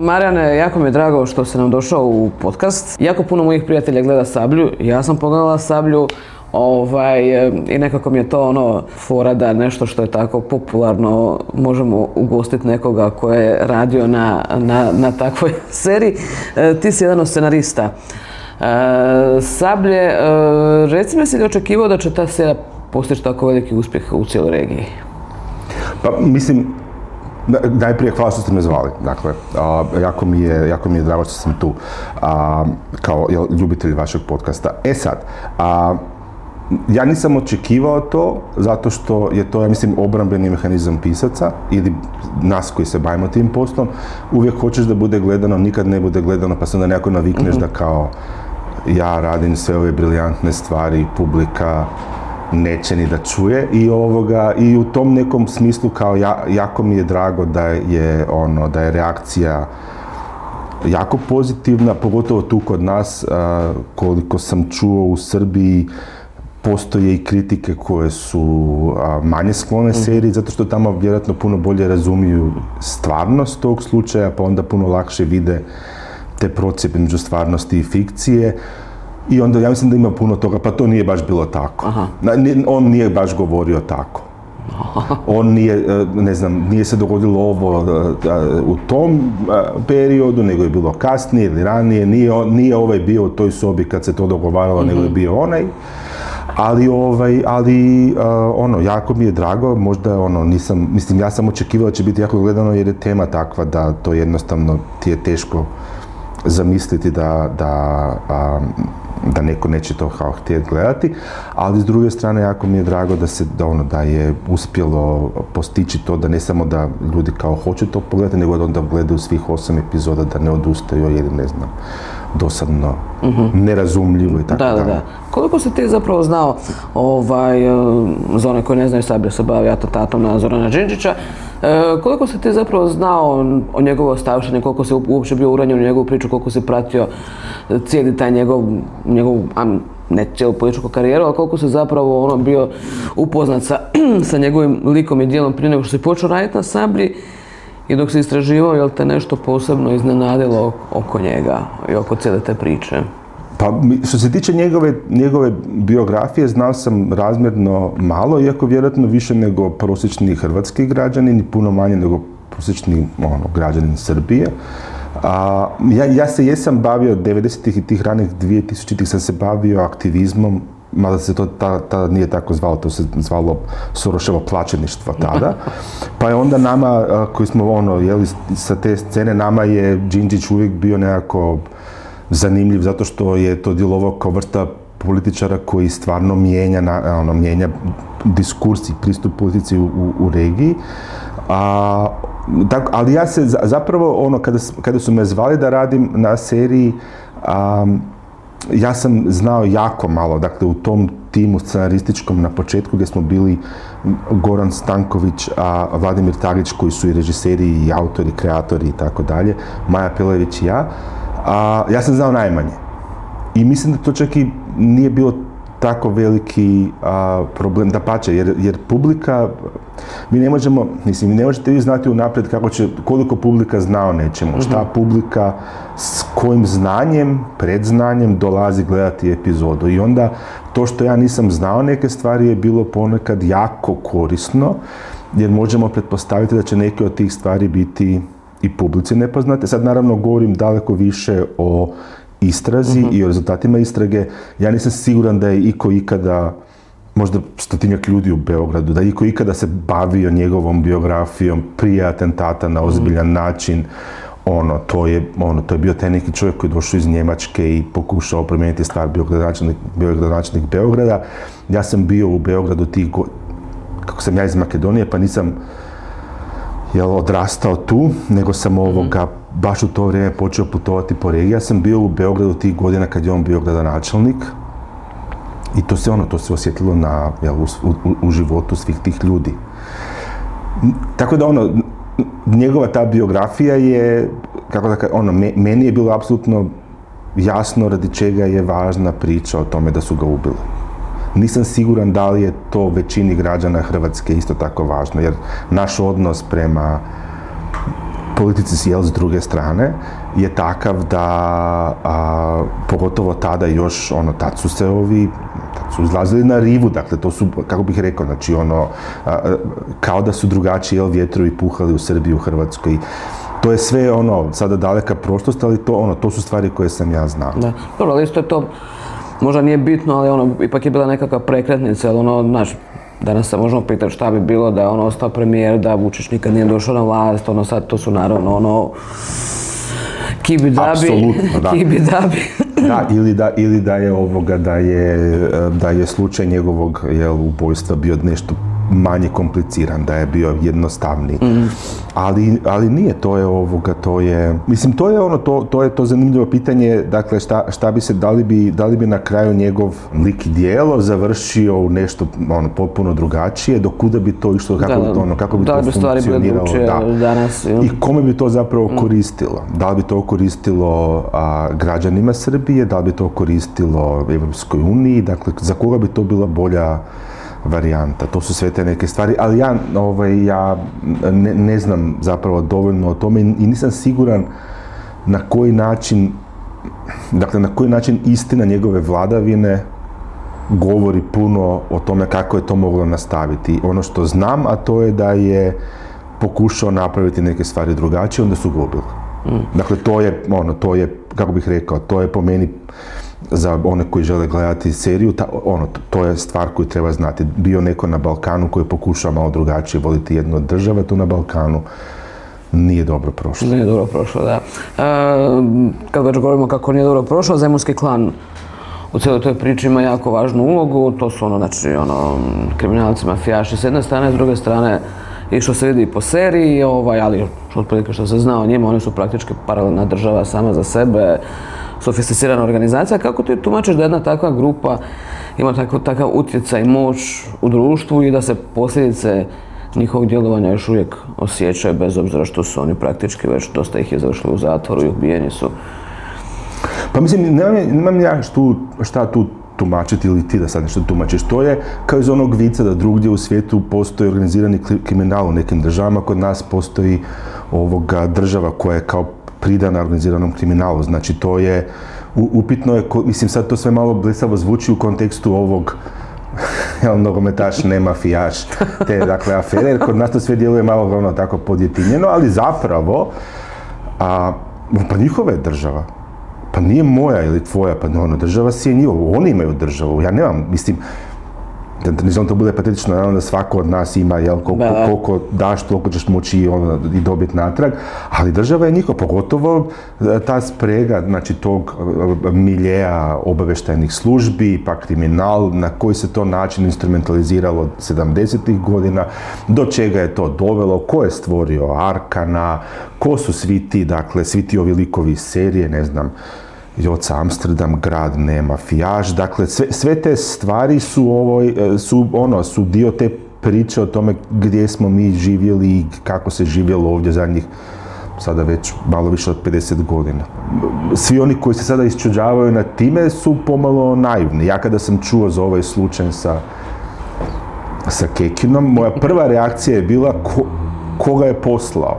Marijane, jako mi je drago što si nam došao u podcast. Jako puno mojih prijatelja gleda Sablju, ja sam pogledala Sablju. I nekako mi je to fora da nešto što je tako popularno možemo ugostiti nekoga ko je radio na takvoj seriji. Ti si jedan od scenarista Sablje. Reci mi, si li očekivao da će ta serija postići tako veliki uspjeh u cijeloj regiji? Pa mislim, najprije hvala što ste me zvali. Dakle, jako mi je drago što sam tu kao ljubitelj vašeg podcasta. Sad, ja nisam očekivao to, zato što je to, ja mislim, obrambeni mehanizam pisaca ili nas koji se bavimo tim poslom. Uvijek hoćeš da bude gledano, nikad ne bude gledano, pa se onda nekako navikneš da kao ja radim sve ove briljantne stvari, publika neće ni da čuje i u tom nekom smislu kao jako mi je drago da je reakcija jako pozitivna, pogotovo tu kod nas. Koliko sam čuo u Srbiji, postoje i kritike koje su manje sklone seriji, zato što tamo vjerojatno puno bolje razumiju stvarnost tog slučaja, pa onda puno lakše vide te procjepe među stvarnosti i fikcije. I onda ja mislim da ima puno toga, pa to nije baš bilo tako. On nije baš govorio tako. On nije se dogodilo ovo u tom periodu, nego je bilo kasnije ili ranije. Nije ovaj bio u toj sobi kad se to dogovaralo, nego je bio onaj. Ali jako mi je drago, možda ja sam očekivao da će biti jako gledano jer je tema takva da to jednostavno ti je teško zamisliti da neko neće to htjeti gledati, ali s druge strane jako mi je drago da je uspjelo postići to da ne samo da ljudi kao hoće to pogledati, nego da onda gledaju svih 8 epizoda, da ne odustaju ili ne znam, dosadno, nerazumljivo i tako dalje. Da. Koliko si ti zapravo znao, za one koji ne znaju, Sablja se bavi atentatom na Zorana Đinđića, koliko si ti zapravo znao o njegovoj ostavštini, koliko si uopće bio uranjen u njegovu priču, koliko si pratio cijeli taj njegov ne cijelu političku karijeru, ali koliko si zapravo bio upoznat sa njegovim likom i djelom prije nego što si počeo raditi na Sablji i dok si istraživao, je li te nešto posebno iznenadilo oko njega i oko cijele te priče? Pa, što se tiče njegove biografije, znao sam razmjerno malo, iako vjerojatno više nego prosječni hrvatski građanin i puno manje nego prosječni građanin Srbije. Ja se jesam bavio 90-ih i tih ranih 2000-ih sam se bavio aktivizmom, mada se to tada nije tako zvalo, to se zvalo Soroševo plaćeništvo tada. Pa je onda nama, koji smo sa te scene, nama je Đinđić uvijek bio nekako zanimljiv, zato što je to djelovao kao vrsta političara koji stvarno mijenja diskurs i pristup politici u regiji. Ali ja se zapravo, kada su me zvali da radim na seriji, ja sam znao jako malo, dakle u tom timu scenarističkom na početku gdje smo bili Goran Stanković, Vladimir Taglić koji su i režiseri i autori, kreatori i tako dalje, Maja Pelević i ja. Ja sam znao najmanje. I mislim da to čak i nije bilo tako veliki problem, dapače, jer publika, ne možete vi znati unaprijed koliko publika zna o nečemu, šta publika s kojim znanjem, predznanjem dolazi gledati epizodu. I onda to što ja nisam znao neke stvari je bilo ponekad jako korisno, jer možemo pretpostaviti da će neke od tih stvari biti i publici nepoznate. Sad naravno govorim daleko više o istrazi i o rezultatima istrage. Ja nisam siguran da je iko ikada, možda 100-tinjak ljudi u Beogradu, da je iko ikada se bavio njegovom biografijom prije atentata na ozbiljan način. To je bio taj neki čovjek koji je došao iz Njemačke i pokušao promijeniti stvar, bio gradonačelnik Beograda. Ja sam bio u Beogradu kako sam ja iz Makedonije, pa nisam odrastao tu, nego sam baš u to vrijeme počeo putovati po regiji. Ja sam bio u Beogradu tih godina kad je on bio gradonačelnik i to se osjetilo u životu svih tih ljudi. Tako da njegova ta biografija je, meni je bilo apsolutno jasno radi čega je važna priča o tome da su ga ubili. Nisam siguran da li je to većini građana Hrvatske isto tako važno, jer naš odnos prema politici s druge strane je takav da, pogotovo tada još, tad su izlazili na rivu, dakle to su, kako bih rekao, znači kao da su drugačiji vjetrovi puhali u Srbiji, u Hrvatskoj. To je sve sada daleka prošlost, ali to su stvari koje sam ja znao. Da, dobro, ali isto je to, možda nije bitno, ali ipak je bila nekakva prekretnica, ali znaš, danas se možemo pitati šta bi bilo da je ostao premijer, da Vučić nikad nije došao na vlast, sad to su naravno kibidabi. Da, ili da je slučaj njegovog ubojstva bio nešto manje kompliciran, da je bio jednostavniji. Ali nije, mislim, to je to zanimljivo pitanje, dakle, šta bi se, da li bi na kraju njegov lik i djelo završio u nešto potpuno drugačije, do kuda bi to išlo, kako bi to funkcioniralo, danas, i kome bi to zapravo koristilo. Da li bi to koristilo građanima Srbije, da li bi to koristilo Evropskoj uniji, dakle, za koga bi to bila bolja varijanta. To su sve te neke stvari, ali ja ne znam zapravo dovoljno o tome i nisam siguran na koji način istina njegove vladavine govori puno o tome kako je to moglo nastaviti. Ono što znam, a to je da je pokušao napraviti neke stvari drugačije, onda su gubili. Dakle, to je, kako bih rekao, to je po meni, za one koji žele gledati seriju, to je stvar koju treba znati. Bio neko na Balkanu koji je pokušao malo drugačije voditi jednu od država, tu na Balkanu nije dobro prošlo. Nije dobro prošlo, da. Kad već govorimo kako nije dobro prošlo, Zemunski klan u cijeloj toj priči ima jako važnu ulogu. To su kriminalci, mafijaši s jedne strane, s druge strane i što se vidi i po seriji, ali otprilike što se zna o njima, oni su praktički paralelna država sama za sebe, sofisticirana organizacija. Kako ti tumačiš da jedna takva grupa ima takav utjecaj i moć u društvu i da se posljedice njihovog djelovanja još uvijek osjećaju, bez obzira što su oni praktički već dosta ih je završili u zatvoru i ubijeni su? Pa mislim, nemam ja šta tu tumačiti ili ti da sad nešto tumačiš. To je kao iz onog vica da drugdje u svijetu postoji organizirani kriminal u nekim državama, kod nas postoji država koja je kao pridana organiziranom kriminalu. Znači, to je, upitno je, mislim, sad to sve malo blesavo zvuči u kontekstu ovog nogometaš, ne mafijaš, te, dakle, afere, jer kod nas to sve djeluje malo tako podjetinjeno, ali zapravo, pa njihova je država. Pa nije moja ili tvoja, pa država si je njihova, oni imaju državu, ja nemam, mislim, ne znam, to bude patetično, naravno da svako od nas ima, koliko daš, toliko ćeš moći i dobiti natrag, ali država je njihova, pogotovo ta sprega, znači tog miljeja obavještajnih službi, pa kriminal, na koji se to način instrumentaliziralo od 70-ih godina, do čega je to dovelo, ko je stvorio Arkana, ko su svi ti, dakle, svi ti ovi likovi iz serije, ne znam, Joca Amsterdam, grad ne mafijaš, dakle sve te stvari su dio te priče o tome gdje smo mi živjeli i kako se živjelo ovdje zadnjih sada već malo više od 50 godina. Svi oni koji se sada isčuđavaju nad time su pomalo naivni. Ja kada sam čuo za ovaj slučaj sa Kekinom, moja prva reakcija je bila koga je poslao.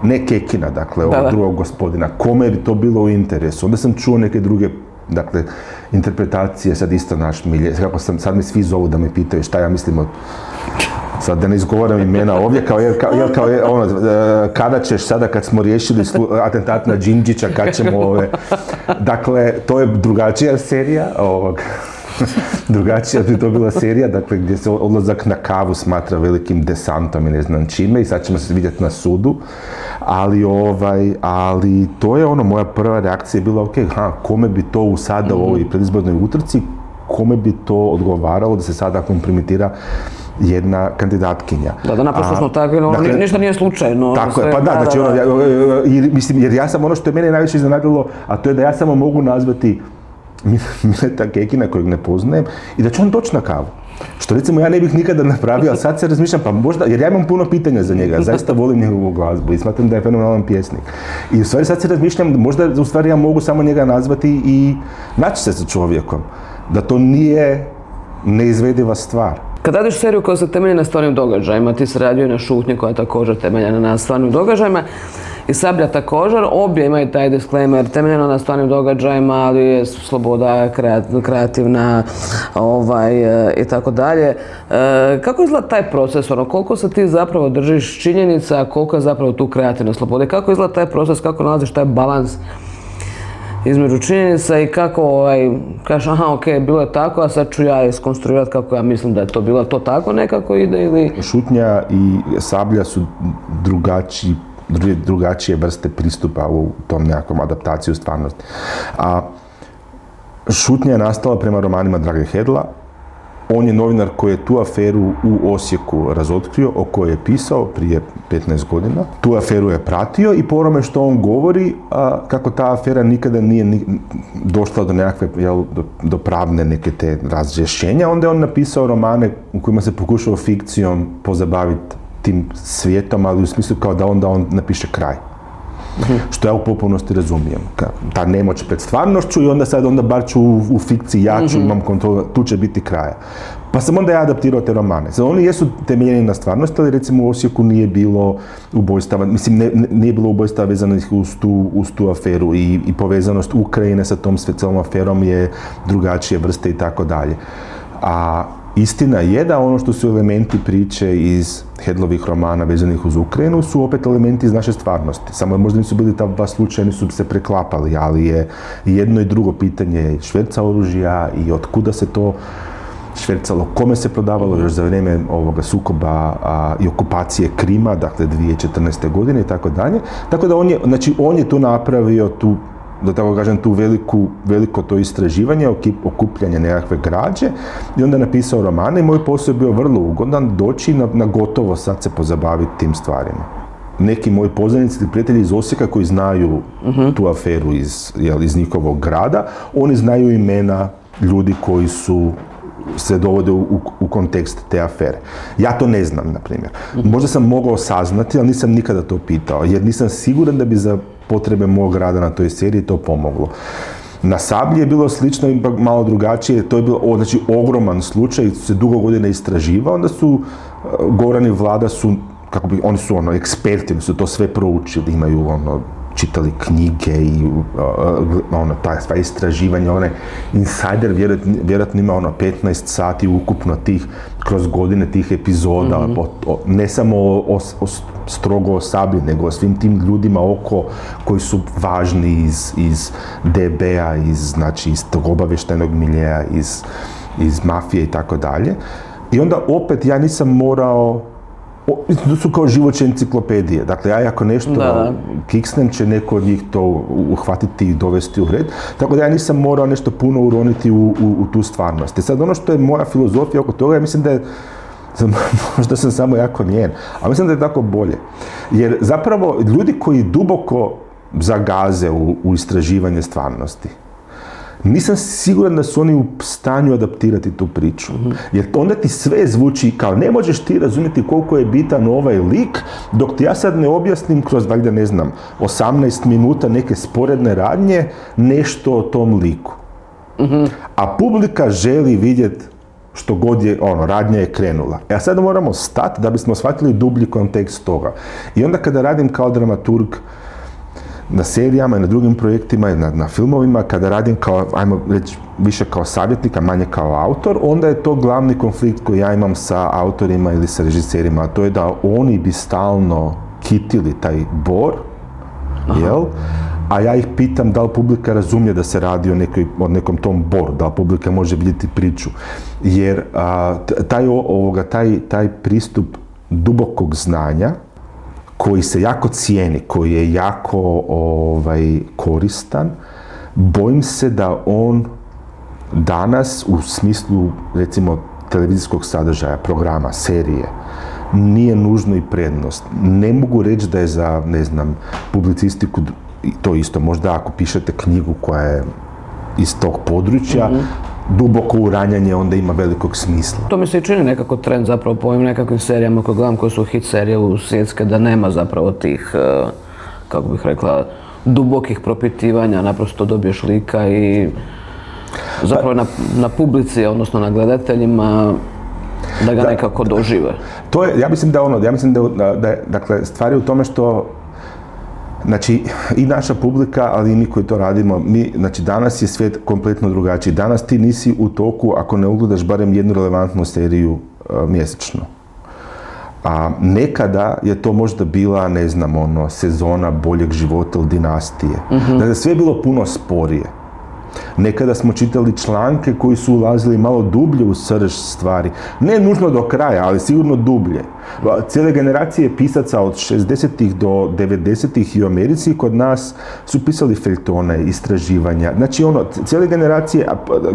Ne Kekina, dakle, ovog drugog gospodina. Kome bi to bilo u interesu? Onda sam čuo neke druge, dakle, interpretacije, sad isto naš milje. Sad mi svi zovu da me pitaju šta ja mislim sad da ne izgovaram imena ovdje, kada ćeš sada kad smo riješili atentat na Đinđića, kad ćemo Dakle, to je drugačija serija drugačija bi to bila serija, dakle, gdje se odlazak na kavu smatra velikim desantom i ne znam čime i sad ćemo se vidjeti na sudu, ali to je moja prva reakcija je bila, kome bi to sada u ovoj predizbornoj utrci, kome bi to odgovaralo da se sada kompromitira jedna kandidatkinja. Da, naprosto smo tako, dakle, ništa nije slučajno. Tako je, pa da, znači, jer ja sam ono što je mene najviše iznenadilo, a to je da ja samo mogu nazvati Mileta Kekina kojeg ne poznajem i da će on doći na kavu. Što recimo ja ne bih nikada napravio, ali sad se razmišljam, pa možda, jer ja imam puno pitanja za njega, zaista volim njegovu glazbu i smatram da je fenomenalan pjesnik. I u stvari sad se razmišljam, možda u stvari ja mogu samo njega nazvati i naći se sa čovjekom. Da to nije neizvediva stvar. Kad radiš seriju koja se temelji na stvarnim događajima, ti se radio i na Šutnji koja je također temeljena na stvarnim događajima, i Sablja također, obje imaju taj disclaimer temeljeno na stvarnim događajima, ali je sloboda kreativna i tako dalje. Kako izgleda taj proces, koliko se ti zapravo držiš činjenica, koliko je zapravo tu kreativna sloboda, kako izgleda taj proces, kako nalaziš taj balans između činjenica i kako kažeš aha, ok, bilo je tako, a sad ću ja iskonstruirati kako ja mislim da je to bilo, to tako nekako ide ili... Šutnja i Sablja su drugačije vrste pristupa u tom nekakvom adaptaciju stvarnosti. A Šutnja je nastala prema romanima Drage Hedla. On je novinar koji je tu aferu u Osijeku razotkrio, o kojoj je pisao prije 15 godina. Tu aferu je pratio i po onome što on govori, kako ta afera nikada nije došla do nekakve, do pravne neke te razrješenja, onda je on napisao romane u kojima se pokušao fikcijom pozabaviti tim svijetom, ali u smislu kao da onda on napiše kraj. Što ja u potpunosti razumijem. Ta nemoć pred stvarnošću i onda bar ću u fikciji jaču, imam kontrolu, tu će biti kraja. Pa sam onda ja adaptirao te romane. Sad, oni jesu temeljeni na stvarnosti, ali recimo u Osijeku nije bilo ubojstava, nije bilo ubojstava vezanih uz tu aferu i povezanost Ukrajine sa tom celom aferom je drugačije vrste i tako dalje. A istina je da ono što su elementi priče iz Hedlovih romana vezanih uz Ukrajinu su opet elementi iz naše stvarnosti. Samo možda nisu bili ta dva slučaja, nisu se preklapali, ali je jedno i drugo pitanje šverca oružja i od kuda se to švercalo, kome se prodavalo još za vrijeme ovoga sukoba i okupacije Krima, dakle 2014. godine i tako dalje. Tako da on je tu napravio tu, da tako kažem, tu veliko to istraživanje, okupljanje nekakve građe i onda napisao romane i moj posao je bio vrlo ugodan doći na gotovo sad se pozabaviti tim stvarima. Neki moji poznanici ili prijatelji iz Osijeka koji znaju tu aferu iz njihovog grada, oni znaju imena ljudi koji su se dovode u kontekst te afere. Ja to ne znam, na primjer. Možda sam mogao saznati, ali nisam nikada to pitao, jer nisam siguran da bi za potrebe mog rada na toj seriji to pomoglo. Na Sablji je bilo slično, ipak malo drugačije, to je bilo ogroman slučaj, se dugo godina istraživao, onda su Goran i Vlada oni su eksperti, oni su to sve proučili, imaju čitali knjige i ta istraživanja, Insider vjerojatno ima 15 sati ukupno kroz godine tih epizoda, ne samo strogo o Sablji, nego o svim tim ljudima oko koji su važni iz DB-a, iz tog obavještajnog miljeja, iz mafije i tako dalje. I onda opet ja nisam morao, to su kao životne enciklopedije. Dakle, ja ako nešto kiksnem, će neko od njih to uhvatiti i dovesti u red. Tako da ja nisam morao nešto puno uroniti u tu stvarnost. I sad ono što je moja filozofija oko toga, ja mislim da je, možda sam samo jako njen, ali mislim da je tako bolje. Jer zapravo ljudi koji duboko zagaze u istraživanje stvarnosti, nisam siguran da su oni u stanju adaptirati tu priču. Jer onda ti sve zvuči kao ne možeš ti razumjeti koliko je bitan ovaj lik, dok ti ja sad ne objasnim kroz, valjda ne znam, 18 minuta neke sporedne radnje, nešto o tom liku. A publika želi vidjeti što god je, radnja je krenula. A sad moramo stati da bismo shvatili dublji kontekst toga. I onda kada radim kao dramaturg, na serijama i na drugim projektima i na filmovima, kada radim kao, ajmo reći, više kao savjetnik, a manje kao autor, onda je to glavni konflikt koji ja imam sa autorima ili sa režiserima, a to je da oni bi stalno kitili taj bor, jel? A ja ih pitam da li publika razumije da se radi o nekom tom boru, da li publika može vidjeti priču. Jer taj pristup dubokog znanja, koji se jako cijeni, koji je jako koristan, bojim se da on danas u smislu, recimo, televizijskog sadržaja, programa, serije, nije nužno i prednost. Ne mogu reći da je za, ne znam, publicistiku to isto. Možda ako pišete knjigu koja je iz tog područja, duboko uranjanje onda ima velikog smisla. To mi se i čini nekako trend zapravo po ovim nekakvim serijama koje gledam, koje su hit serije u svjetske, da nema zapravo tih, kako bih rekla, dubokih propitivanja, naprosto dobiješ lika i zapravo na publici, odnosno na gledateljima, da ga nekako dožive. To je, ja mislim da je, dakle, stvar je u tome što Znači, i naša publika, ali i mi koji to radimo, znači danas je svijet kompletno drugačiji. Danas ti nisi u toku ako ne ugledaš barem jednu relevantnu seriju mjesečno. A nekada je to možda bila, ne znam, sezona Boljeg života ili Dinastije. Dakle, sve je bilo puno sporije. Nekada smo čitali članke koji su ulazili malo dublje u srž stvari. Ne nužno do kraja, ali sigurno dublje. Cijele generacije pisaca od 60-ih do 90-ih i u Americi kod nas su pisali feljtone, istraživanja. Znači, cijele generacije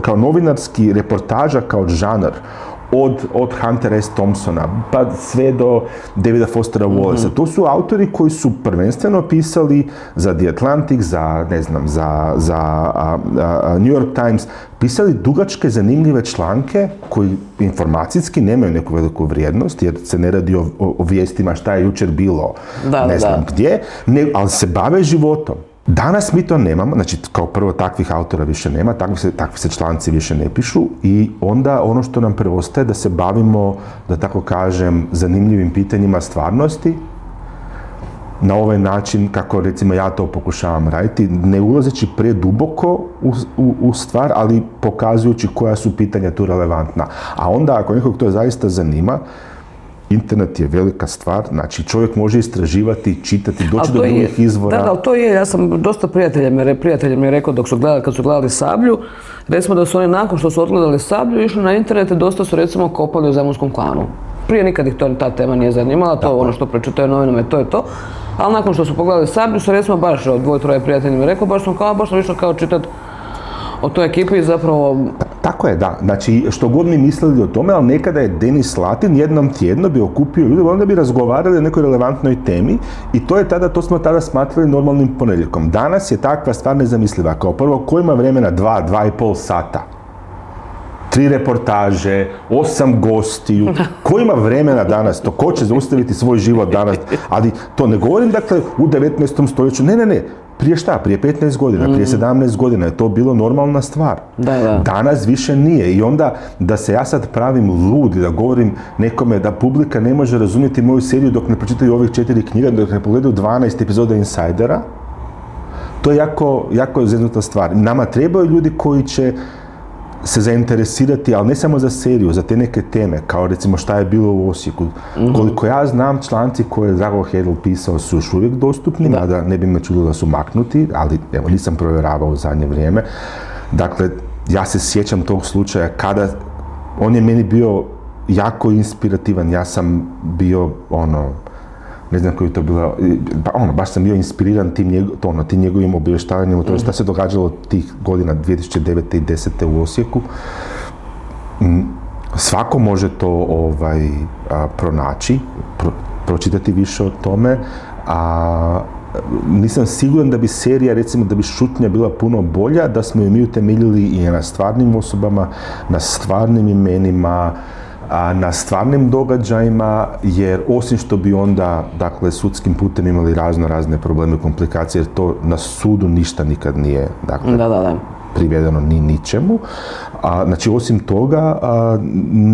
kao novinarski reportaža kao žanr, od Huntera S. Thompsona pa sve do Davida Fostera Wallacea. To su autori koji su prvenstveno pisali za The Atlantic, za New York Times, pisali dugačke, zanimljive članke koji informacijski nemaju neku veliku vrijednost, jer se ne radi o vijestima šta je jučer bilo, ne znam gdje, ali se bave životom. Danas mi to nemamo, znači kao prvo takvih autora više nema, takvi se članci više ne pišu i onda ono što nam preostaje da se bavimo, da tako kažem, zanimljivim pitanjima stvarnosti na ovaj način kako recimo ja to pokušavam raditi, ne ulazeći preduboko u stvar, ali pokazujući koja su pitanja tu relevantna. A onda ako nekog to zaista zanima, internet je velika stvar, znači čovjek može istraživati, čitati, doći do drugih izvora. Da, ali to je, ja sam dosta prijatelja mi je rekao kad su gledali Sablju, recimo da su oni nakon što su odgledali Sablju išli na internet i dosta su recimo kopali u Zemunskom klanu. Prije nikad ih ta tema nije zanimala, to je ono što pročitaju novinama i to je to. Ali nakon što su pogledali Sablju su recimo baš dvoje-troje prijatelja mi rekao, baš sam išao kao čitati o toj ekipi zapravo... Tako je, da. Znači, što god mi mislili o tome, ali nekada je Denis Latin jednom tjedno bi okupio ljude, onda bi razgovarali o nekoj relevantnoj temi i to smo tada smatrali normalnim ponedjeljkom. Danas je takva stvar nezamisliva. Kao prvo, ko ima vremena 2,5 sata? 3 reportaže, 8 gostiju. Ko ima vremena danas to? Ko će zaustaviti svoj život danas? Ali to ne govorim, dakle, u 19. stoljeću. Ne. Prije šta? Prije 15 godina, prije 17 godina je to bilo normalna stvar. Da. Danas više nije. I onda da se ja sad pravim lud i da govorim nekome da publika ne može razumjeti moju seriju dok ne pročitaju ovih 4 knjiga, dok ne pogledaju 12 epizoda Insidera, to je jako zeznuta stvar. Nama trebaju ljudi koji će se zainteresirati, ali ne samo za seriju, za te neke teme, kao recimo šta je bilo u Osijeku. Koliko ja znam, članci koje je Drago Hedl pisao su još uvijek dostupni, mada ne bi me čudilo da su maknuti, ali evo, nisam provjeravao u zadnje vrijeme. Dakle, ja se sjećam tog slučaja kada on je meni bio jako inspirativan, ja sam bio ne znam koji je to bilo, baš sam bio inspiriran tim njegovim obavještavanjem o tome šta se događalo tih godina 2009. i 2010. u Osijeku. Svako može to pronaći, pročitati više o tome, a nisam siguran da bi serija, recimo da bi Šutnja bila puno bolja, da smo ju mi utemeljili i na stvarnim osobama, na stvarnim imenima, na stvarnim događajima, jer osim što bi onda, dakle, sudskim putem imali razne probleme i komplikacije, jer to na sudu ništa nikad nije, dakle, privedeno ni ničemu. Znači, osim toga,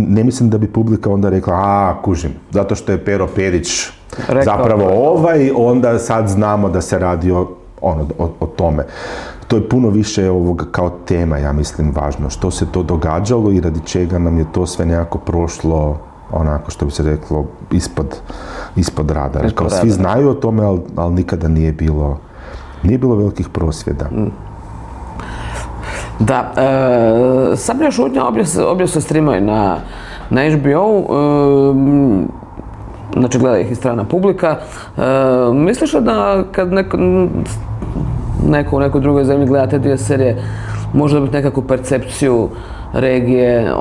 ne mislim da bi publika onda rekla, kužim, zato što je Pero Perić zapravo onda sad znamo da se radi o tome. To je puno više ovoga kao tema, ja mislim, važno. Što se to događalo i radi čega nam je to sve nekako prošlo, onako što bi se reklo, ispod radara. Kao svi znaju o tome, ali nikada nije bilo velikih prosvjeda. Da, Sablja šutnja obje se streamaju na HBO-u, znači gleda ih i strana publika. Misliš li da kad neko u nekoj drugoj zemlji gleda te dvije serije, može dobiti nekakvu percepciju regije,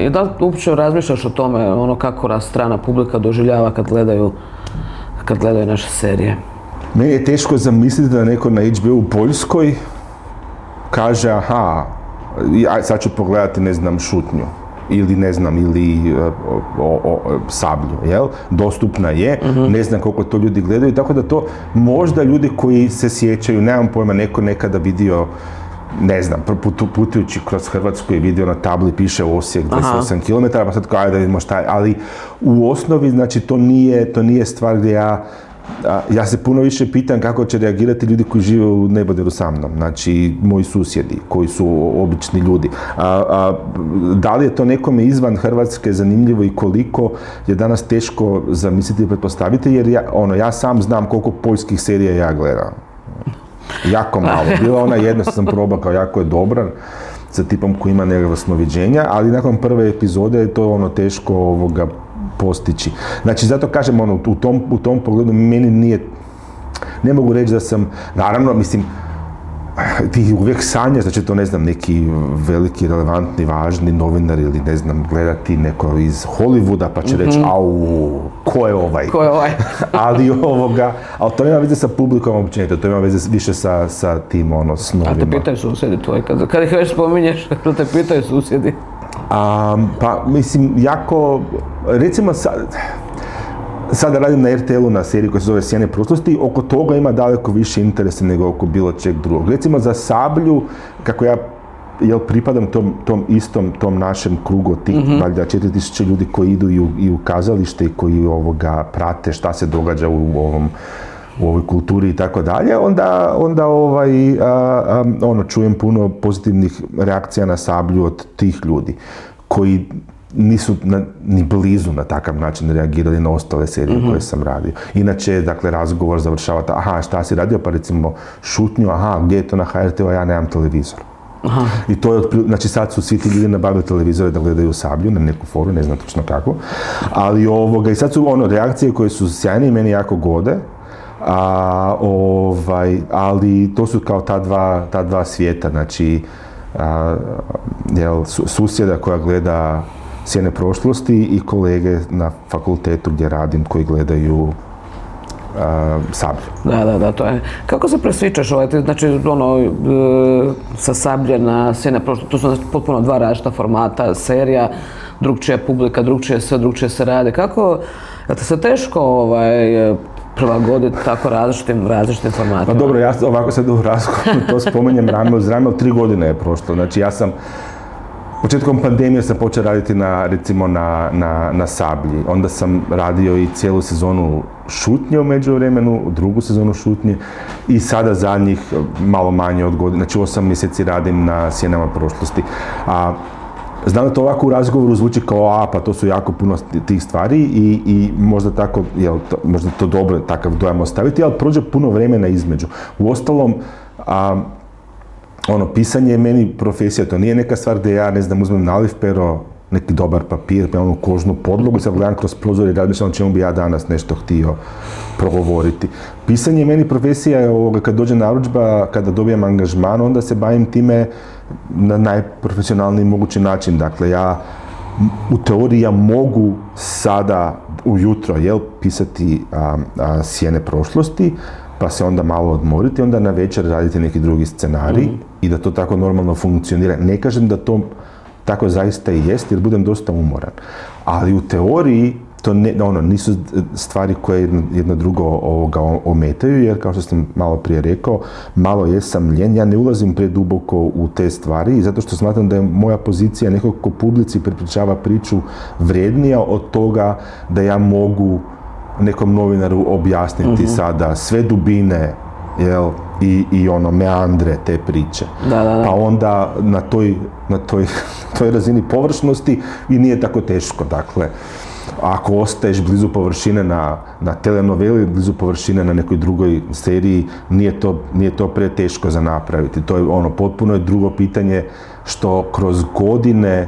i da li uopće razmišljaš o tome, kako strana publika doživljava kad gledaju naše serije? Meni je teško zamisliti da neko na HBO u Poljskoj kaže, sad ću pogledati, ne znam, Šutnju. Ili Sablju, jel? Dostupna je, ne znam koliko to ljudi gledaju, tako da to možda ljudi koji se sjećaju, nemam pojma, neko nekada vidio, ne znam, putujući kroz Hrvatsku i vidio na tabli piše Osijek 28 km, pa sad kao da vidimo šta je, ali u osnovi, znači, to nije stvar gdje ja ja se puno više pitam kako će reagirati ljudi koji žive u neboderu sa mnom, znači moji susjedi koji su obični ljudi. Da li je to nekome izvan Hrvatske zanimljivo i koliko je danas teško zamisliti i pretpostaviti, jer ja sam znam koliko poljskih serija ja gledam. Jako malo. Bila ona jedna što sam probao kao jako je dobra, sa tipom koji ima nekakva snoviđenja, ali nakon prve epizode je to teško postići. Znači, zato kažem, u tom pogledu meni nije, ne mogu reći da sam, naravno, mislim, ti uvijek sanjaš da će to, ne znam, neki veliki, relevantni, važni novinar ili, ne znam, gledati neko iz Hollywooda pa će reći, au, ko je ovaj? Ko je ovaj? ali to nema veze sa publikom općenito, to ima veze više sa tim, snovima. A te pitaju susjedi tvoji, kad ih već spominješ, što te pitaju susjedi? Pa, mislim, jako, recimo sada radim na RTL-u na seriji koja se zove Sjene prošlosti, oko toga ima daleko više interesa nego oko bilo čeg drugog. Recimo za Sablju, kako ja pripadam tom našem krugu tih valjda 4000 ljudi koji idu i u kazalište i koji prate šta se događa u ovoj kulturi i tako dalje, onda čujem puno pozitivnih reakcija na Sablju od tih ljudi koji nisu ni blizu na takav način reagirali na ostale serije koje sam radio. Inače, dakle, razgovor završava šta si radio, pa recimo šutnju, gdje je to na HRT-u, a ja nemam televizor. Aha. I to je, znači sad su svi ti ljudi nabavili televizore da gledaju Sablju na neku foru, ne znam točno kako, ali i sad su reakcije koje su sjajne i meni jako gode, ali to su kao ta dva svijeta, znači susjeda koja gleda Sjene prošlosti i kolege na fakultetu gdje radim koji gledaju Sablju. Da, to je. Kako se presvičaš znači sa Sablje na Sjene prošlosti, to su potpuno dva različita formata, serija, drugčija publika, drugčije se rade. Kako, je te se teško prilagoditi tako različitim formatima? Pa dobro, ja ovako sad u razgovoru to spomenjem rame uz rame, 3 godine je prošlo, znači ja sam početkom pandemije sam počeo raditi na Sablji. Onda sam radio i cijelu sezonu Šutnje u međuvremenu, drugu sezonu Šutnje i sada zadnjih malo manje od godine, znači 8 mjeseci radim na Sjenama prošlosti. Znam da to ovako u razgovoru zvuči kao pa to su jako puno tih stvari i možda tako, možda to dobro takav dojam ostaviti, ali prođe puno vremena između. Uostalom, pisanje je meni profesija, to nije neka stvar gdje ja, ne znam, uzmem naliv pero, neki dobar papir, kožnu podlogu i sad gledam kroz prozor i razmišljam o čemu bi ja danas nešto htio progovoriti. Pisanje je meni profesija, kad dođe narudžba, kada dobijem angažman, onda se bavim time na najprofesionalniji mogući način. Dakle, ja u teoriji ja mogu sada ujutro pisati Sjene prošlosti, pa se onda malo odmoriti, onda na večer raditi neki drugi scenarij i da to tako normalno funkcionira. Ne kažem da to tako zaista i jest, jer budem dosta umoran. Ali u teoriji to nisu stvari koje jedno drugo ometaju, jer kao što sam malo prije rekao, malo jesam ljen, ja ne ulazim preduboko u te stvari, zato što smatram da je moja pozicija nekog ko publici prepričava priču vrijednija od toga da ja mogu nekom novinaru objasniti sada sve dubine i meandre te priče. Da. Pa onda na toj razini površnosti i nije tako teško. Dakle, ako ostaješ blizu površine na telenoveli, blizu površine na nekoj drugoj seriji, nije to preteško za napraviti. To je potpuno je drugo pitanje što kroz godine,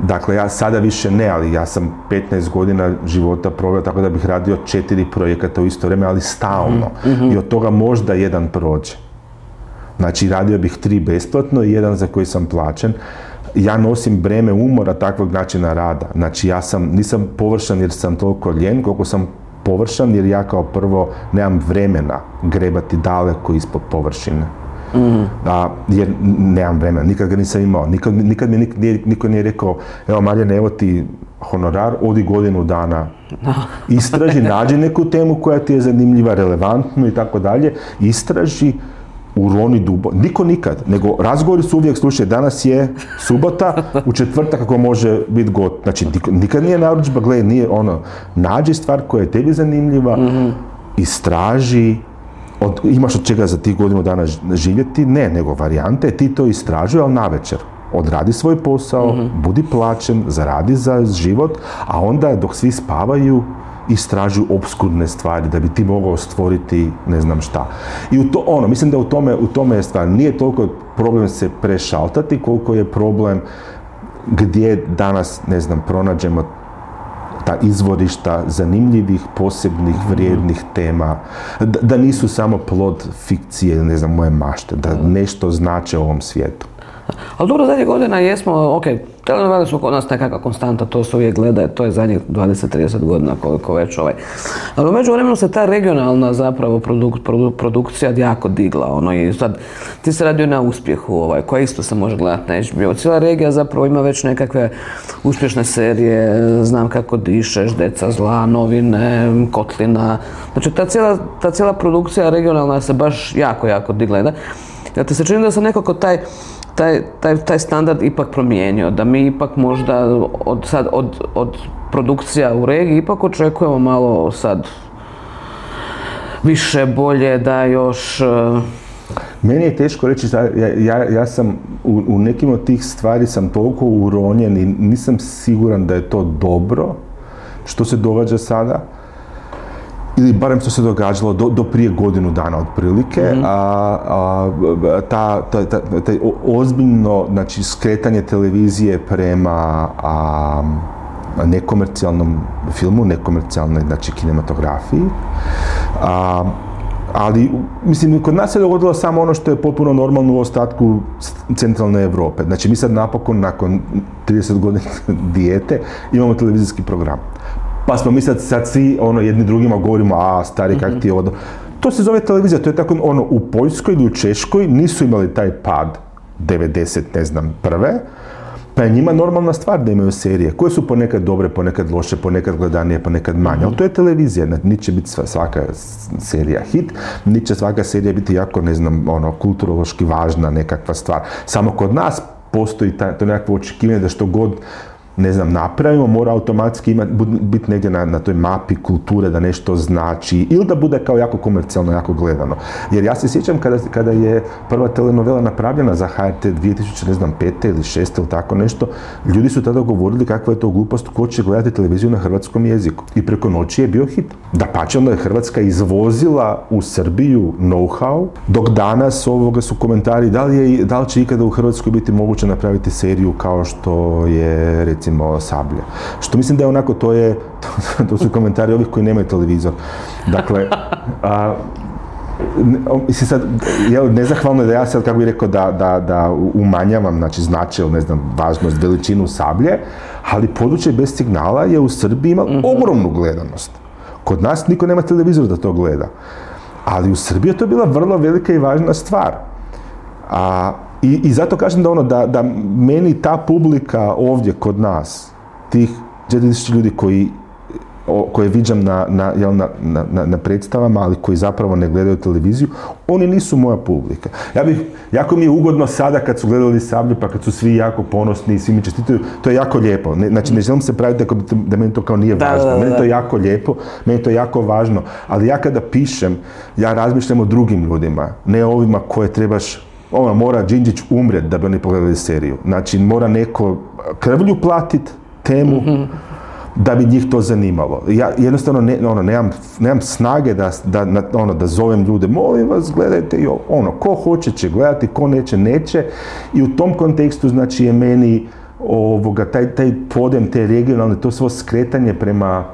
dakle, ja sada više ne, ali ja sam 15 godina života proveo tako da bih radio 4 projekata u isto vrijeme, ali stalno. I od toga možda jedan prođe. Znači, radio bih 3 besplatno i jedan za koji sam plaćen. Ja nosim breme umora takvog načina rada. Znači, nisam površan jer sam toliko ljen, koliko sam površan jer ja kao prvo nemam vremena grebati daleko ispod površine. Jer nemam vremena, nikad ga nisam imao, nikad mi niko nije rekao, evo Marjane, evo ti honorar, odi godinu dana, istraži, nađi neku temu koja ti je zanimljiva, relevantnu i tako dalje, istraži, uroni dubo, niko nikad, nego razgovori su uvijek, slušaj, danas je subota, u četvrtak kako može biti znači nikad nije narudžba, gledaj, nije nađi stvar koja je tebi zanimljiva, istraži, imaš od čega za tih godinu dana živjeti, ne, nego varijante, ti to istražuj, ali navečer. Odradi svoj posao, budi plaćen, zaradi za život, a onda dok svi spavaju, istražuju opskurne stvari da bi ti mogao stvoriti ne znam šta. I mislim da u tome je stvar. Nije toliko problem se prešaltati, koliko je problem gdje danas, ne znam, pronađemo ta izvorišta zanimljivih, posebnih, vrijednih tema, da nisu samo plod fikcije, ne znam, moje mašte, da nešto znače u ovom svijetu. Ali dobro, zadnjih godina jesmo, telenovele su kod nas nekakva konstanta, to se uvijek gleda, to je zadnjih 20-30 godina koliko već Ali u međuvremenu se ta regionalna zapravo produkcija jako digla, i sad ti se radio na uspjehu, koja isto se može gledati na HBO. Cijela regija zapravo ima već nekakve uspješne serije, Znam kako dišeš, Deca zla, Novine, Kotlina. Znači ta cijela produkcija regionalna se baš jako digla. Da ti se čini da se nekako taj standard ipak promijenio, da mi ipak možda od produkcija u regiji ipak očekujemo malo sad više, bolje, da još... Meni je teško reći, ja sam u nekim od tih stvari sam toliko uronjen i nisam siguran da je to dobro što se događa sada. Ili barem što se događalo do prije godinu dana otprilike, taj ozbiljno, znači, skretanje televizije prema nekomercijalnom filmu, nekomercijalnoj, znači, kinematografiji. Ali, mislim, kod nas se dogodilo samo ono što je potpuno normalno u ostatku centralne Europe. Znači, mi sad napokon, nakon 30 godina dijete, imamo televizijski program. Pa smo mi sad svi jedni drugima govorimo, stari, kak ti je ovo. To se zove televizija, to je tako, u Poljskoj ili u Češkoj nisu imali taj pad 90, ne znam, prve, pa je njima normalna stvar da imaju serije, koje su ponekad dobre, ponekad loše, ponekad gledanije, ponekad manje, ali to je televizija, niti će biti svaka serija hit, niti će svaka serija biti jako, ne znam, kulturološki važna nekakva stvar. Samo kod nas postoji to nekakvo očekivanje da što god, ne znam, napravimo, mora automatski biti negdje na toj mapi kulture da nešto znači, ili da bude kao jako komercijalno, jako gledano. Jer ja se sjećam kada je prva telenovela napravljena za HRT 2005. ili 2006. ili tako nešto, ljudi su tada govorili kakva je to glupost, ko će gledati televiziju na hrvatskom jeziku. I preko noći je bio hit. Dapače, onda je Hrvatska izvozila u Srbiju know-how, dok danas su komentari da li će ikada u Hrvatskoj biti moguće napraviti seriju kao što je, recimo, Sablja. Što mislim da je onako, to su komentari ovih koji nemaju televizor. Dakle, mislim sad, nezahvalno je da ja sad, kako bih rekao, da umanjavam, znači, značaj, ne znam, važnost, veličinu Sablje, ali područje bez signala je u Srbiji ima ogromnu gledanost. Kod nas niko nema televizor da to gleda. Ali u Srbiji je to bila vrlo velika i važna stvar. I zato kažem da meni ta publika ovdje kod nas, tih 4000 ljudi koje viđam na predstavama, ali koji zapravo ne gledaju televiziju, oni nisu moja publika. Jako mi je ugodno sada kad su gledali Sablju, pa kad su svi jako ponosni i svi mi čestitaju, to je jako lijepo. Znači, ne želim se praviti da meni to kao nije važno. Meni to je jako lijepo, meni to je jako važno, ali ja kada pišem, ja razmišljam o drugim ljudima, ne ovima koje trebaš. Mora Đinđić umret da bi oni pogledali seriju. Znači, mora neko krvlju platit temu da bi njih to zanimalo. Ja jednostavno nemam snage da zovem ljude, molim vas, gledajte i ko hoće će gledati, ko neće. I u tom kontekstu, znači, je meni taj podem, te regionalne, to svo skretanje prema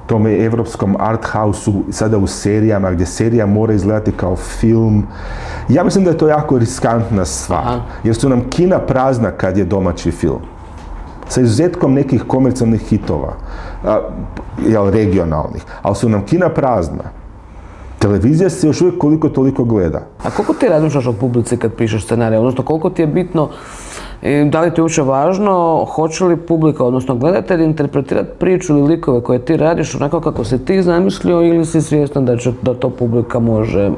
tome evropskom art house-u, sada u serijama, gdje serija mora izgledati kao film. Ja mislim da je to jako riskantna stvar, jer su nam kina prazna kad je domaći film. Sa izuzetkom nekih komercijalnih hitova, regionalnih, ali su nam kina prazna. Televizija se još uvijek koliko toliko gleda. A koliko ti razmišljaš o publici kad pišeš scenarij? Odnosno, koliko ti je bitno, da li ti je uopće važno, hoće li publika, odnosno gledatelj, interpretirati priču ili likove koje ti radiš onako kako si ti zamislio, ili si svjestan da to publika može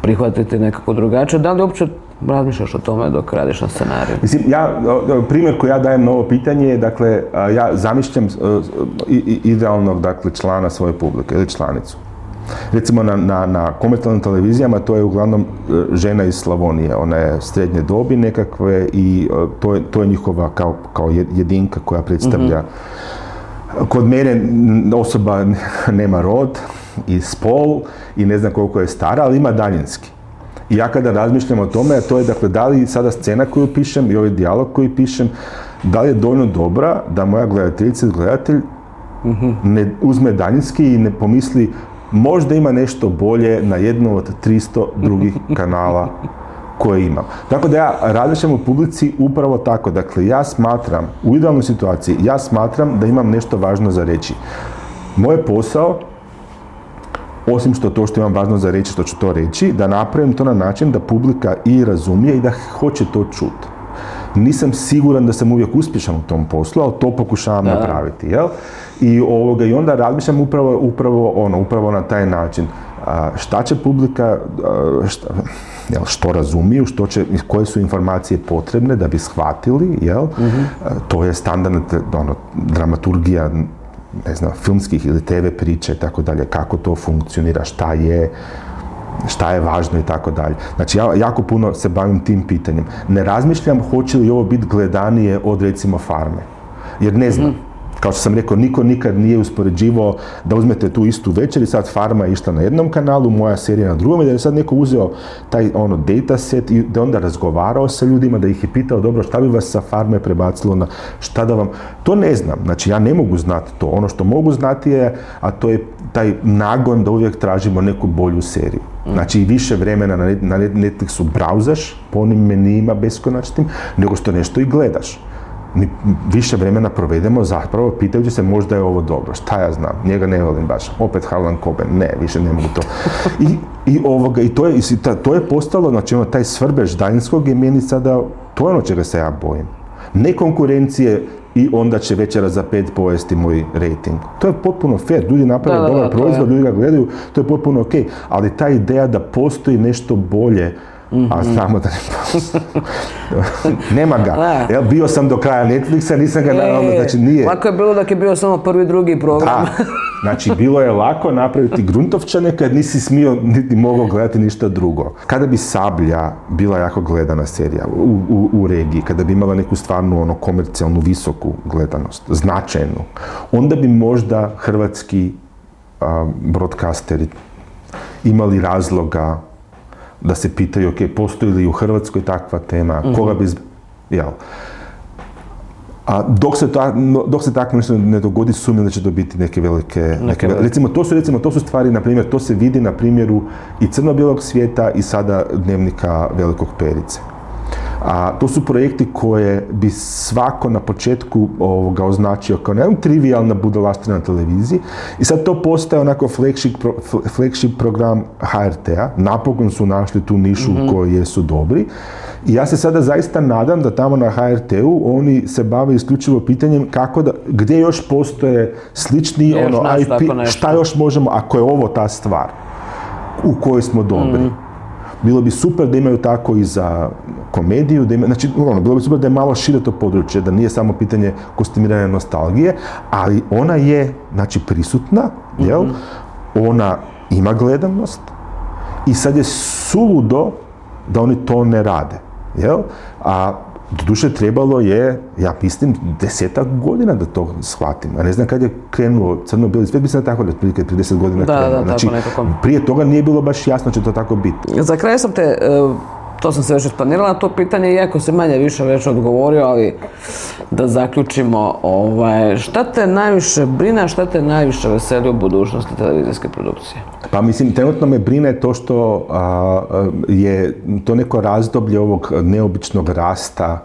prihvatiti nekako drugačije? Da li uopće razmišljaš o tome dok radiš na scenariju? Mislim, primjer koji ja dajem na ovo pitanje je, dakle, ja zamišljam idealnog, dakle, člana svoje publike ili članicu. Recimo na komercijalnim televizijama to je uglavnom žena iz Slavonije, ona je srednje dobi nekakve i to je njihova kao jedinka koja predstavlja. Kod mene osoba nema rod i spol i ne znam koliko je stara, ali ima daljinski. I ja kada razmišljam o tome, to je dakle da li sada scena koju pišem i ovaj dijalog koji pišem, da li je dovoljno dobra da moja gledateljica ili gledatelj ne uzme daljinski i ne pomisli možda ima nešto bolje na jednom od 300 drugih kanala koje imam. Tako da ja razmišljam u publici upravo tako. Dakle, ja smatram, u idealnoj situaciji, ja smatram da imam nešto važno za reći. Moj posao, osim što imam važno za reći, što ću to reći, da napravim to na način da publika i razumije i da hoće to čuti. Nisam siguran da sam uvijek uspješan u tom poslu, ali to pokušavam napraviti, jel? I onda razmišljam upravo na taj način. Šta će publika, što razumiju, koje su informacije potrebne da bi shvatili, jel? To je standardna dramaturgija, ne znam, filmskih ili TV priče i tako dalje, kako to funkcionira, šta je važno i tako dalje. Znači, ja jako puno se bavim tim pitanjem. Ne razmišljam hoće li ovo biti gledanije od, recimo, Farme. Jer ne znam. Kao što sam rekao, niko nikad nije uspoređivao da uzmete tu istu večer i sad Farma je išla na jednom kanalu, moja serija na drugom, i da je sad neko uzeo taj dataset i da onda razgovarao sa ljudima, da ih je pitao, dobro, šta bi vas sa Farme prebacilo na šta da vam... To ne znam. Znači, ja ne mogu znati to. Ono što mogu znati je, a to je taj nagon da uvijek tražimo neku bolju seriju. Znači, više vremena na Netflixu brauzaš po onim menijima beskonačnim, nego što nešto i gledaš. Mi više vremena provedemo zapravo pitajući se možda je ovo dobro, šta ja znam, njega ne volim baš, opet Harlan Coben, ne, više ne mogu to. I to je postalo, znači taj svrbež daljinskog je meni sada, to je ono čega se ja bojim. Ne konkurencije i onda će Večera za 5 pojesti moj rating. To je potpuno fair, ljudi naprave dobar proizvod, ljudi ga gledaju, to je potpuno ok, ali ta ideja da postoji nešto bolje, a znamo da ne postoji. Nema ga. Bio sam do kraja Netflixa, nisam ga znači nije. Lako je bilo dok je bio samo prvi, drugi program. Da. Znači, bilo je lako napraviti Gruntovčane kad nisi smio niti mogao gledati ništa drugo. Kada bi Sablja bila jako gledana serija u regiji, kada bi imala neku stvarnu komercijalnu visoku gledanost, značajnu, onda bi možda hrvatski broadcasteri imali razloga da se pitaju, ok, postoji li u Hrvatskoj takva tema, koga bi... Jel? A dok se tako nešto ne dogodi, sumnjam da će to biti neke velike... To su stvari, na primjer, to se vidi na primjeru i crno-bijelog svijeta i sada Dnevnika Velikog Perice. A to su projekti koje bi svako na početku označio kao nekako trivijalna budalaština na televiziji i sad to postaje onako flagship program HRT-a. Napokon su našli tu nišu u kojoj jesu dobri i ja se sada zaista nadam da tamo na HRT-u oni se bave isključivo pitanjem gdje još postoje slični IP, šta još možemo, ako je ovo ta stvar u kojoj smo dobri. Bilo bi super da imaju tako i za komediju, bilo bi super da je malo šire to područje, da nije samo pitanje kostimiranja nostalgije, ali ona je, prisutna, jel? Ona ima gledanost i sad je suludo da oni to ne rade, jel? A doduše trebalo je, ja mislim, 10 godina da to shvatim. A ne znam kad je krenuo crno-bijeli svijet, mislim da tako da otprilike 30 godina krenuo. Znači, prije toga nije bilo baš jasno će to tako biti. Za kraj sam te, to sam se već isplanirala na to pitanje, iako se manje više već odgovorio, ali da zaključimo, šta te najviše brine, šta te najviše veseli u budućnosti televizijske produkcije? Pa mislim, trenutno me brine to što je to neko razdoblje ovog neobičnog rasta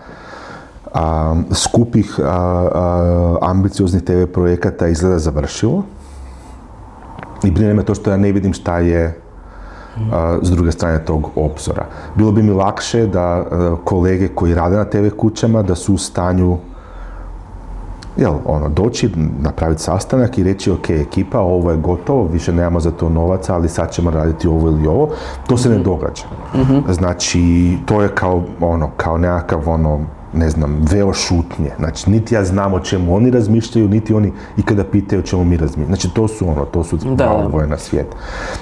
skupih ambicioznih TV projekata izgleda završilo. I brine me to što ja ne vidim šta je s druge strane tog obzora. Bilo bi mi lakše da kolege koji rade na TV kućama da su u stanju doći, napraviti sastanak i reći ok, ekipa, ovo je gotovo, više nemamo za to novaca, ali sad ćemo raditi ovo ili ovo. To se ne događa. Znači, to je kao nekakav ne znam, veo šutnje. Znači, niti ja znam o čemu oni razmišljaju, niti oni ikada pitaju o čemu mi razmišljaju. Znači, to su malo dvoje na svijet.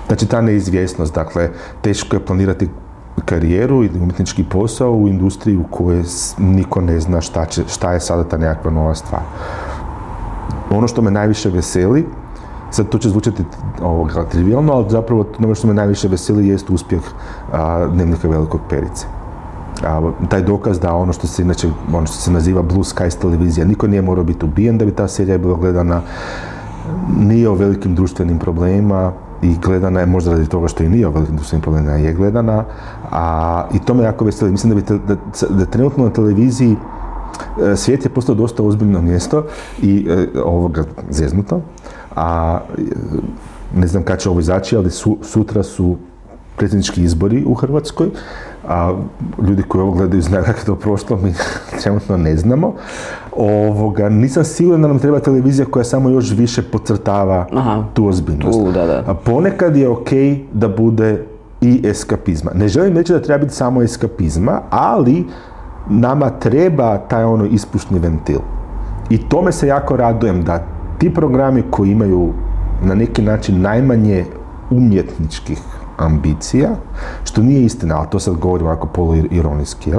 Znači, ta neizvjesnost, dakle, teško je planirati karijeru ili umjetnički posao u industriji u kojoj niko ne zna šta je sada ta nekakva nova stvar. Ono što me najviše veseli, sad to će zvučati trivijalno, ali zapravo ono što me najviše veseli jest uspjeh Dnevnika Velikog Perice. Taj dokaz da ono što se naziva Blue Skies televizija, niko nije morao biti ubijen da bi ta serija bila gledana, nije o velikim društvenim problemima i gledana je možda radi toga što i nije o velikim društvenim problemima, je gledana, i to me jako veseli. Mislim da trenutno na televiziji svijet je postao dosta ozbiljno mjesto i zeznuto, ne znam kad će ovo izaći, ali sutra su predsjednički izbori u Hrvatskoj, a ljudi koji ovo gledaju znaju kako je to prošlo, mi trenutno ne znamo. Nisam siguran da nam treba televizija koja samo još više podcrtava tu ozbiljnost. Ponekad je okej da bude i eskapizma. Ne želim reći da treba biti samo eskapizma, ali nama treba taj ispušni ventil. I tome se jako radujem da ti programi koji imaju na neki način najmanje umjetničkih ambicija, što nije istina, ali to sad govorim ovako poluironijski,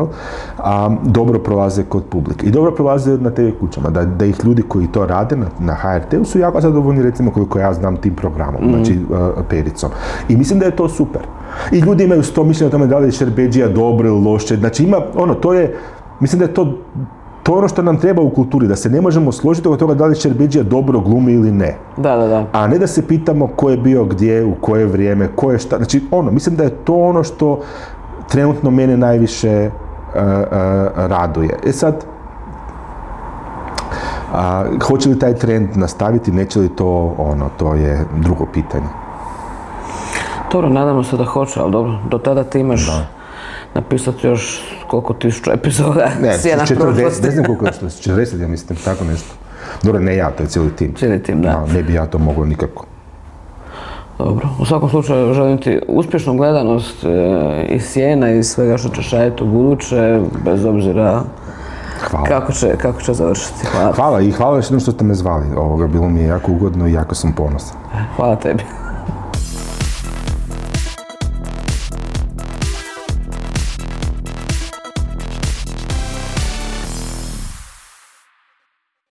dobro prolaze kod publike. I dobro prolaze na TV kućama, da ih ljudi koji to rade na HRT-u su jako zadovoljni, recimo koliko ja znam tim programom, znači Pericom. I mislim da je to super. I ljudi imaju 100 mišljenja o tome da li je Šerbedžija dobro ili loše, znači ima, mislim da je to ono što nam treba u kulturi, da se ne možemo složiti oko toga da li Šerbedžija dobro glumi ili ne. Da. A ne da se pitamo ko je bio gdje, u koje vrijeme, ko je šta. Znači, mislim da je to ono što trenutno mene najviše raduje. Sad, hoće li taj trend nastaviti, neće li to je drugo pitanje. Dobro, nadamo se da hoće, ali dobro, do tada ti imaš napisati još koliko 1000 epizoda Sjena prošlosti. Ne znam koliko je 40, ja mislim, tako nešto. Dobro, ne ja, to je cijeli tim. Cijeli tim, da. Ne bi ja to mogao nikako. Dobro, u svakom slučaju želim ti uspješnu gledanost i Sjena i svega što ćeš raditi u buduće, bez obzira kako će završiti. Hvala i hvala još jednom što ste me zvali. Bilo mi je jako ugodno i jako sam ponosan. Hvala tebi.